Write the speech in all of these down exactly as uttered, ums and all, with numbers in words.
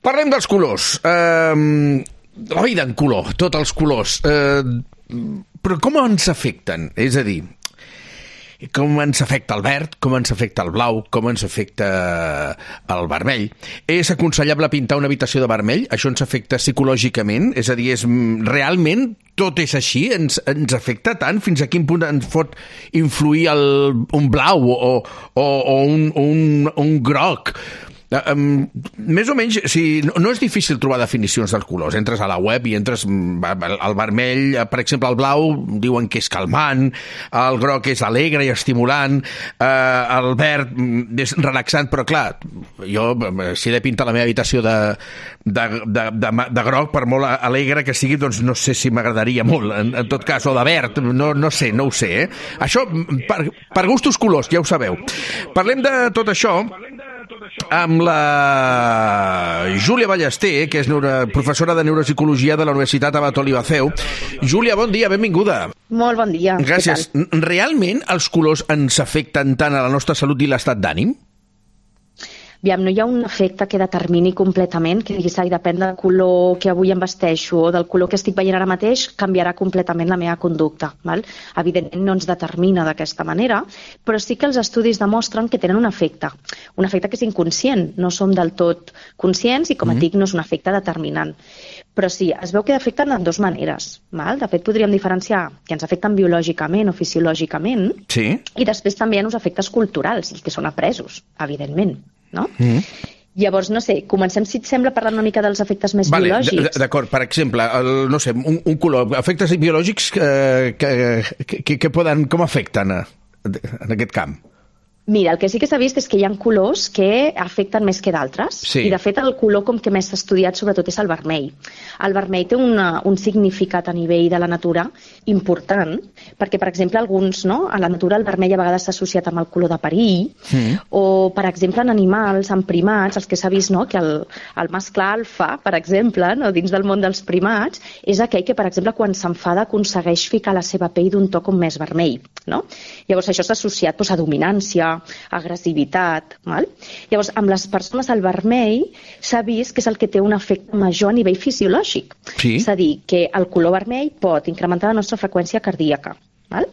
Parlem dels colors. Uh, la vida en color, tots els colors. Uh, però com ens afecten? És a dir, com ens afecta el verd, com ens afecta el blau, com ens afecta el vermell. És aconsellable pintar una habitació de vermell? Això ens afecta psicològicament? És a dir, és, realment tot és així? Ens, ens afecta tant? Fins a quin punt ens pot influir el, un blau o, o, o un, un, un groc? Um, més o menys, si, no, no és difícil trobar definicions dels colors. Entres a la web i entres el vermell, per exemple, el blau diuen que és calmant, el groc és alegre i estimulant, uh, el verd és relaxant, però clar, jo si he de pintar la meva habitació de, de, de, de, de groc, per molt alegre que sigui, doncs no sé si m'agradaria molt, en, en tot cas, o de verd, no, no sé, no ho sé, eh? Això per, per gustos colors, ja ho sabeu. Parlem de tot això amb la Júlia Ballester, que és neuro... professora de Neuropsicologia de la Universitat Abat Olivatheu. Júlia, bon dia, benvinguda. Molt bon dia. Gràcies. Realment els colors ens afecten tant a la nostra salut i l'estat d'ànim? Aviam, no hi ha un efecte que determini completament, que diguis, ai, depèn del color que avui em vesteixo o del color que estic veient ara mateix, canviarà completament la meva conducta. Val? Evidentment no ens determina d'aquesta manera, però sí que els estudis demostren que tenen un efecte. Un efecte que és inconscient, no som del tot conscients i, com et dic, no és un efecte determinant. Però sí, es veu que afecten de dues maneres. Val? De fet, podríem diferenciar que ens afecten biològicament o fisiològicament, sí. I després també hi ha uns efectes culturals, que són apresos, evidentment. No? Mm. Llavors, no sé, comencem, si et sembla, parlant una mica dels efectes més vale, biològics. D'acord, per exemple, el, no sé, un, un color, efectes biològics eh, que, que, que poden, com afecten a, en aquest camp? Mira, el que sí que s'ha vist és que hi ha colors que afecten més que d'altres, sí. I de fet el color com que més s'ha estudiat sobretot és el vermell. El vermell té una, un significat a nivell de la natura important, perquè per exemple alguns, no, a la natura el vermell a vegades s'ha associat amb el color de perill, mm. o per exemple en animals, en primats, els que s'ha vist, no, que el, el mascle alfa, per exemple, no, dins del món dels primats, és aquell que per exemple quan s'enfada aconsegueix ficar la seva pell d'un to com més vermell. No? Llavors això s'ha associat doncs, a dominància, agressivitat. Val? Llavors, amb les persones el vermell s'ha vist que és el que té un efecte major a nivell fisiològic. Sí. És a dir, que el color vermell pot incrementar la nostra freqüència cardíaca, val?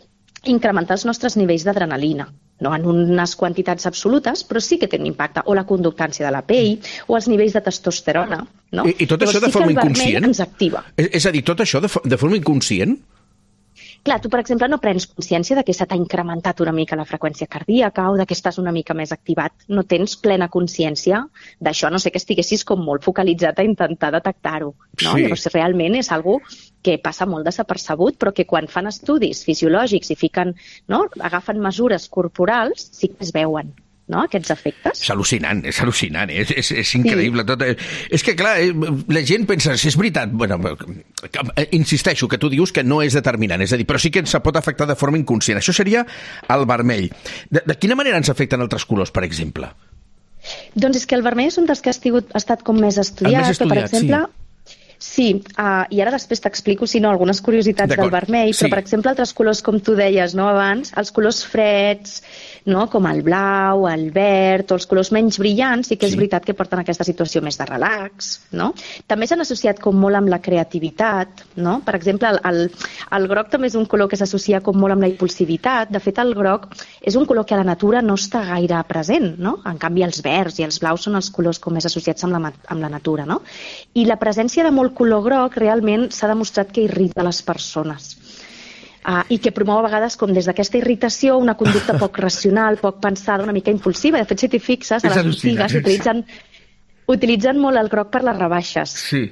Incrementar els nostres nivells d'adrenalina, no en unes quantitats absolutes, però sí que té un impacte, o la conductància de la pell, o els nivells de testosterona. No? I, i tot Llavors, això de sí forma que el inconscient? vermell ens activa. És, és a dir, tot això de, de forma inconscient? Clar, tu, per exemple, no prens consciència de que se t'ha incrementat una mica la freqüència cardíaca o de que estàs una mica més activat. No tens plena consciència d'això, no sé que estiguessis com molt focalitzat a intentar detectar-ho. No? Sí. Llavors, realment és algo que passa molt desapercebut, però que quan fan estudis fisiològics i fiquen, no, agafen mesures corporals, sí que es veuen. No, aquests efectes. És al·lucinant, és al·lucinant, és, és, és increïble. Sí. Tot. És que, clar, la gent pensa, si és veritat, bueno, insisteixo, que tu dius que no és determinant, és a dir, però sí que ens pot afectar de forma inconscient. Això seria el vermell. De, de quina manera ens afecten altres colors, per exemple? Doncs és que el vermell és un dels que ha, estigut, ha estat com més estudiat, més estudiat, que, per exemple... Sí. Sí, uh, i ara després t'explico, si no, algunes curiositats del vermell, però, sí. Per exemple, altres colors, com tu deies, no, abans, els colors freds, no, com el blau, el verd, o els colors menys brillants, sí que és sí. Veritat que porten aquesta situació més de relax, no? També s'han associat com molt amb la creativitat, no? Per exemple, el, el, el groc també és un color que s'associa com molt amb la impulsivitat. De fet, el groc és un color que a la natura no està gaire present, no? En canvi, els verds i els blaus són els colors com més associats amb la, amb la natura, no? I la presència de molt color groc realment s'ha demostrat que irrita les persones uh, i que promou a vegades com des d'aquesta irritació una conducta poc racional, poc pensada, una mica impulsiva. De fet, si t'hi fixes, a les botigues utilitzen, utilitzen molt el groc per les rebaixes. Sí.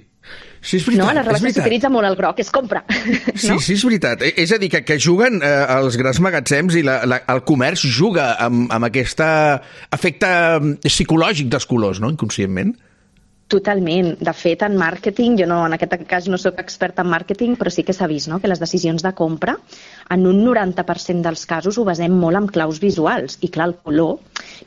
Sí, és veritat. No, a les rebaixes s'utilitza molt el groc, és compra. Sí, no? sí, és veritat. És a dir, que, que juguen eh, els grans magatzems i la, la, el comerç juga amb, amb aquest efecte psicològic dels colors, no?, inconscientment. Totalment. De fet, en màrqueting, jo no, en aquest cas no soc experta en màrqueting, però sí que s'ha vist, no?, que les decisions de compra, en un noranta per cent dels casos ho basem molt en claus visuals. I clar, el color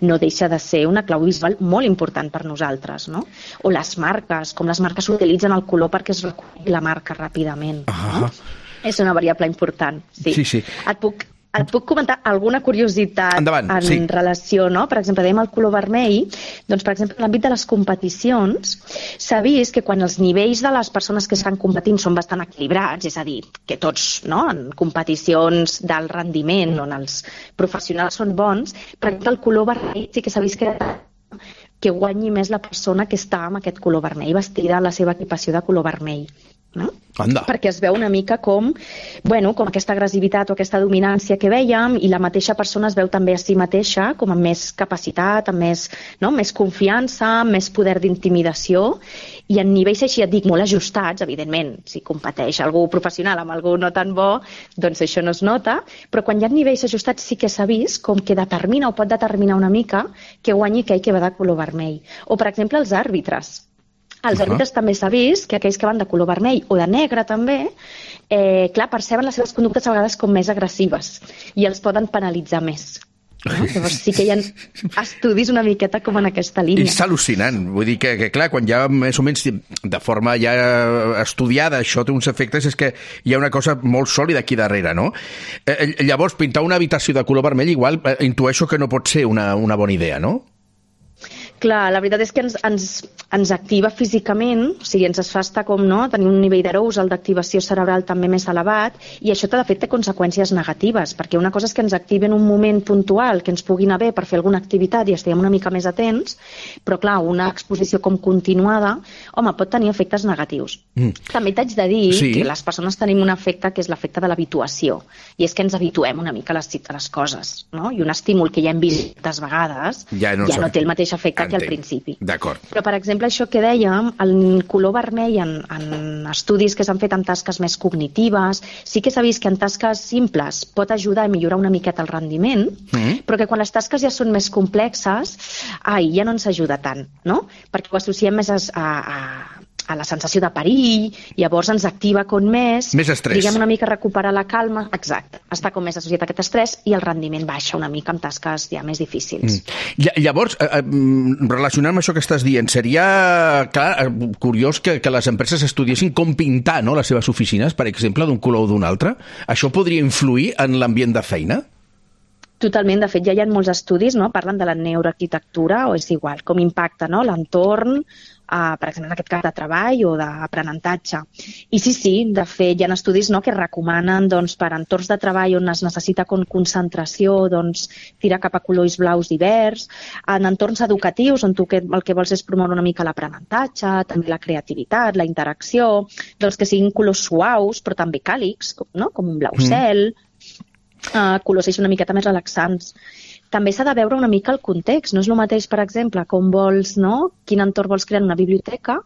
no deixa de ser una clau visual molt important per nosaltres, no? O les marques, com les marques utilitzen el color perquè es reculli la marca ràpidament. No? Uh-huh. És una variable important, sí. Sí, sí. Et puc... Et puc comentar alguna curiositat Endavant, en sí. relació, no? Per exemple, dèiem el color vermell, doncs, per exemple, en l'àmbit de les competicions, s'ha vist que quan els nivells de les persones que estan competint són bastant equilibrats, és a dir, que tots, no?, en competicions d'alt rendiment, on els professionals són bons, per exemple, el color vermell sí que s'ha vist que que guanyi més la persona que està amb aquest color vermell, vestida a la seva equipació de color vermell. No? Anda. Perquè es veu una mica com, bueno, com aquesta agressivitat o aquesta dominància que vèiem, i la mateixa persona es veu també a si mateixa com amb més capacitat, amb més, no? més confiança, amb més poder d'intimidació, i en nivells així, et dic, molt ajustats, evidentment, si competeix algú professional amb algú no tan bo, doncs això no es nota, però quan hi ha nivells ajustats sí que s'ha vist com que determina o pot determinar una mica que guanyi aquell que va de color vermell. O, per exemple, els àrbitres. Els àrbitres uh -huh. també s'ha vist que aquells que van de color vermell o de negre també, eh, clar, perceben les seves conductes a vegades com més agressives i els poden penalitzar més. No? Llavors sí que hi ha estudis una miqueta com en aquesta línia. És al·lucinant. Vull dir que, que, clar, quan ja més o menys de forma ja estudiada això té uns efectes, és que hi ha una cosa molt sòlida aquí darrere, no? Eh, llavors, pintar una habitació de color vermell igual eh, intueixo que no pot ser una, una bona idea, no? Clar, la veritat és que ens, ens, ens activa físicament, o sigui, ens es fa estar com, no?, tenir un nivell d'arousal, d'activació cerebral també més elevat, i això de fet té conseqüències negatives, perquè una cosa és que ens activi en un moment puntual, que ens pugui anar bé per fer alguna activitat i estiguem una mica més atents, però clar, una exposició com continuada, home, pot tenir efectes negatius. Mm. També t'haig de dir sí. que les persones tenim un efecte que és l'efecte de l'habituació, i és que ens habituem una mica a les, a les coses, no? I un estímul que ja hem vist tantes vegades ja no, ja no té el mateix efecte que al principi. D'acord. Però, per exemple, això que dèiem, el color vermell en, en estudis que s'han fet en tasques més cognitives, sí que s'ha vist que en tasques simples pot ajudar a millorar una miqueta el rendiment, mm. però que quan les tasques ja són més complexes, ai, ja no ens ajuda tant, no? Perquè ho associem més a, a, a la sensació de perill, llavors ens activa com més... Més estrès. Diguem una mica recuperar la calma, exacte, està com més associat a aquest estrès i el rendiment baixa una mica en tasques ja més difícils. Mm. Llavors, eh, relacionant amb això que estàs dient, seria, clar, curiós que, que les empreses estudiessin com pintar, no?, les seves oficines, per exemple, d'un color o d'un altre. Això podria influir en l'ambient de feina? Totalment, de fet ja hi ha molts estudis, no?, parlen de la neuroarquitectura, o és igual, com impacta, no?, l'entorn, Uh, per exemple, en aquest cas de treball o d'aprenentatge. I sí, sí, de fet, hi ha estudis, no?, que recomanen, doncs, per entorns de treball on es necessita con concentració, doncs, tirar cap a colors blaus i verds, en entorns educatius on tu que, el que vols és promoure una mica l'aprenentatge, també la creativitat, la interacció, doncs que siguin colors suaus, però també càlids, no?, com un blau mm. cel, uh, colors així una miqueta més relaxants. També s'ha de veure una mica el context. No és el mateix, per exemple, com vols, no?, quin entorn vols crear en una biblioteca,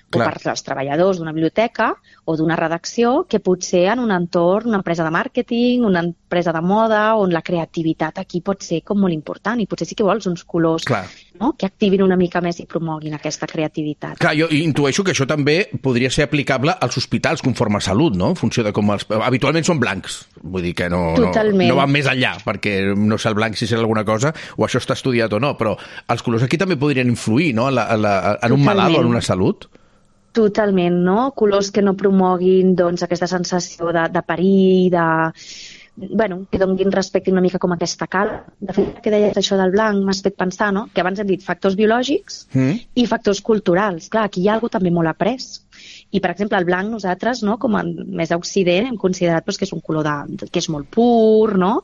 Clar. o per als treballadors d'una biblioteca o d'una redacció, que potser en un entorn, una empresa de màrqueting, una empresa de moda, on la creativitat aquí pot ser com molt important, i potser sí que vols uns colors, no?, que activin una mica més i promoguin aquesta creativitat. Clar, jo intueixo que això també podria ser aplicable als hospitals conforme a salut, no?, en funció de com els... Habitualment són blancs, vull dir que no, no, no van més enllà, perquè no sé el blanc si serà alguna cosa, o això està estudiat o no, però els colors aquí també podrien influir, no?, en, la, en, la, en un malalt o en una salut. Totalment, no? Colors que no promoguin, doncs, aquesta sensació de, de perill, de... bueno, que donin respecte una mica com aquesta calma. De fet, que deies això del blanc m'has fet pensar, no?, que abans hem dit factors biològics mm. i factors culturals. Clar, aquí hi ha alguna cosa també molt après. I, per exemple, el blanc nosaltres, no?, com a més a Occident, hem considerat doncs, que és un color de, que és molt pur, no?,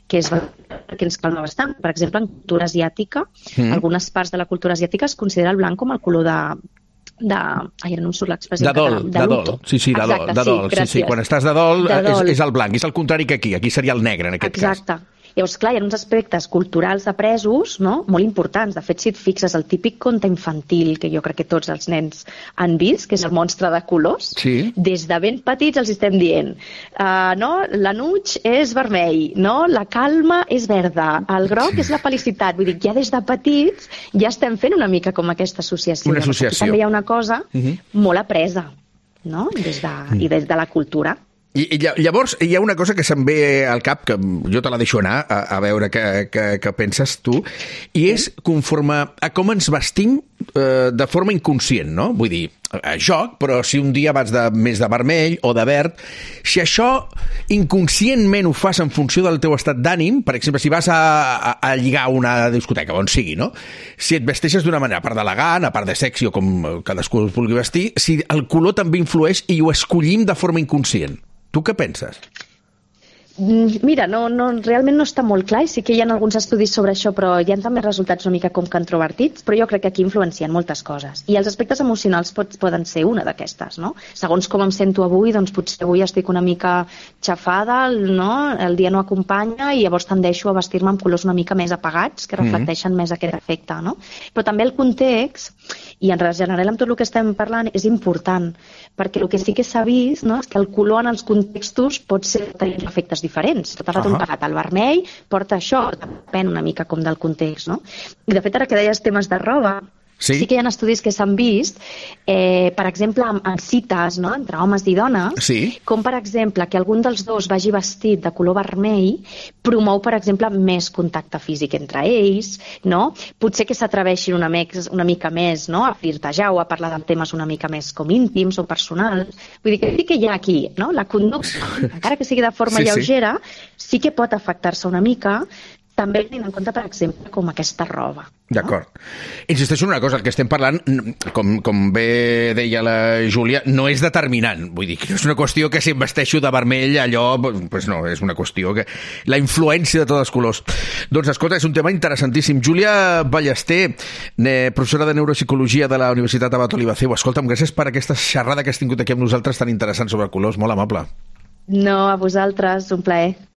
que, és, que ens calma bastant. Per exemple, en cultura asiàtica, mm. algunes parts de la cultura asiàtica es considera el blanc com el color de... de... Ai, no em surt l'expressió. De dol, de, de dol. Sí, sí, de dol. De dol. Sí, sí, quan estàs de dol, de dol. És, és el blanc, és el contrari que aquí. Aquí seria el negre, en aquest Exacte. cas. Exacte. Llavors, clar, hi ha uns aspectes culturals apresos, no?, molt importants. De fet, si et fixes, el típic conte infantil, que jo crec que tots els nens han vist, que és el monstre de colors, sí. des de ben petits els estem dient, uh, no?, l'anuig és vermell, no?, la calma és verda, el groc és la felicitat. Vull dir, ja des de petits ja estem fent una mica com aquesta associació. Una associació. També hi ha una cosa uh-huh. molt apresa, no?, des de, i des de la cultura. I, i llavors hi ha una cosa que se'm ve al cap, que jo te la deixo anar a, a veure què, què, què penses tu, i és conforme a com ens vestim eh, de forma inconscient, no? Vull dir, a joc, però si un dia vas de, més de vermell o de verd, si això inconscientment ho fas en funció del teu estat d'ànim, per exemple, si vas a, a, a lligar a una discoteca, on sigui, no? Si et vesteixes d'una manera, a part d'elegant, a part de sexy o com cadascú es vulgui vestir, si el color també influeix i ho escollim de forma inconscient. Tu què penses? Mira, no, no, realment no està molt clar i sí que hi ha alguns estudis sobre això, però hi ha també resultats una mica com controvertits, però jo crec que aquí influencien moltes coses. I els aspectes emocionals pot, poden ser una d'aquestes, no? Segons com em sento avui, doncs potser avui estic una mica xafada, no? El dia no acompanya i llavors tendeixo a vestir-me amb colors una mica més apagats, que reflecteixen mm-hmm. més aquest efecte, no? Però també el context, i en general amb tot el que estem parlant, és important, perquè el que sí que s'ha vist, no? És que el color en els contextos pot ser tenir efectes diferents. Tot el rato uh-huh. pagat el vermell porta això, depèn una mica com del context, no? I de fet, ara que deies temes de roba, sí, sí que hi ha estudis que s'han vist, eh, per exemple, en, en cites, no?, entre homes i dones, sí, com per exemple que algun dels dos vagi vestit de color vermell promou, per exemple, més contacte físic entre ells, no? Potser que s'atreveixin una, una mica més, no?, a flirtejar o a parlar de temes una mica més com íntims o personals. Vull dir que sí que hi ha aquí, no?, la conducta, encara que sigui de forma sí, lleugera, sí. sí que pot afectar-se una mica, també tenint en compte, per exemple, com aquesta roba. D'acord. No? Insisteixo en una cosa, el que estem parlant, com, com bé deia la Júlia, no és determinant. Vull dir, que no és una qüestió que si em vesteixo de vermell, allò... Pues no, és una qüestió que... La influència de tots els colors. Doncs, escolta, és un tema interessantíssim. Júlia Ballester, professora de Neuropsicologia de la Universitat Abat Olivaceu. Escolta'm, gràcies per aquesta xerrada que has tingut aquí amb nosaltres tan interessant sobre colors. Molt amable. No, a vosaltres, un plaer.